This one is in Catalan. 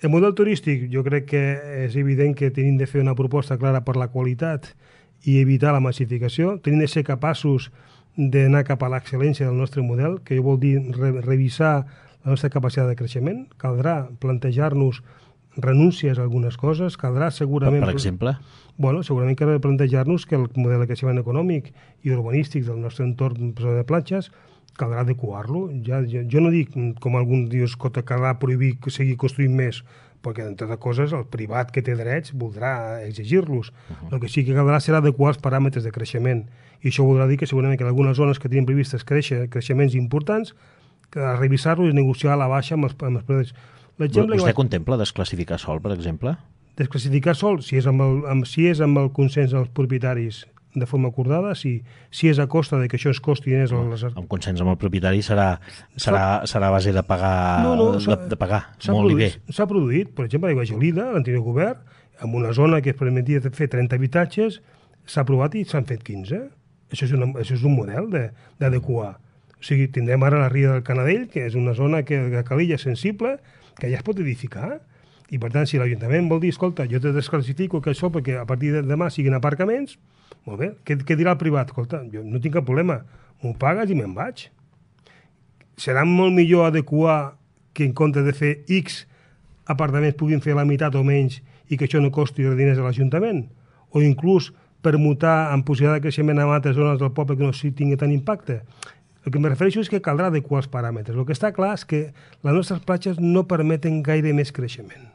El model turístic, jo crec que és evident que tenim de fer una proposta clara per la qualitat i evitar la massificació. Tenim de ser capaços d'anar cap a l'excel·lència del nostre model, que vol dir revisar la nostra capacitat de creixement. Caldrà plantejar-nos renúncies a algunes coses, caldrà segurament... Per exemple? Bueno, segurament caldrà plantejar-nos que el model de creixement econòmic i urbanístic del nostre entorn de platges caldrà adequar-lo. Jo no dic, com algun diu, que caldrà prohibir seguir construint més, perquè, entre altres coses, el privat que té drets voldrà exigir-los. El que sí que caldrà serà adequar els paràmetres de creixement. I això voldrà dir que segurament que en algunes zones que tenim previstes creixements importants, que a revisar-los i negociar a la baixa amb els preus. Vostè contempla desclassificar sol, per exemple? Desclassificar sol, si és amb el consens dels propietaris de forma acordada, si és a costa de que això es costi diners... Amb consens amb el propietari serà a base de pagar, de pagar molt i bé. S'ha produït, per exemple, a Aigua Gelida, l'anterior govern, en una zona que es permetia fer 30 habitatges, s'ha aprovat i s'han fet 15. Això és un model d'adequar. O sigui, tindrem ara la Ria del Canadell, que és una zona que la calilla és sensible, que ja es pot edificar, i per tant, si l'Ajuntament vol dir, escolta, jo te desclassifico que això perquè a partir de demà siguin aparcaments, molt bé, què dirà el privat? Escolta, jo no tinc cap problema, m'ho pagues i me'n vaig. Serà molt millor adequar que en comptes de fer X apartaments puguin fer la meitat o menys i que això no costi diners a l'Ajuntament? O inclús permutar amb possibilitat de creixement en altres zones del poble que no tingui tant impacte? El que em refereixo és que caldrà adequar els paràmetres. El que està clar és que les nostres platges no permeten gaire més creixement.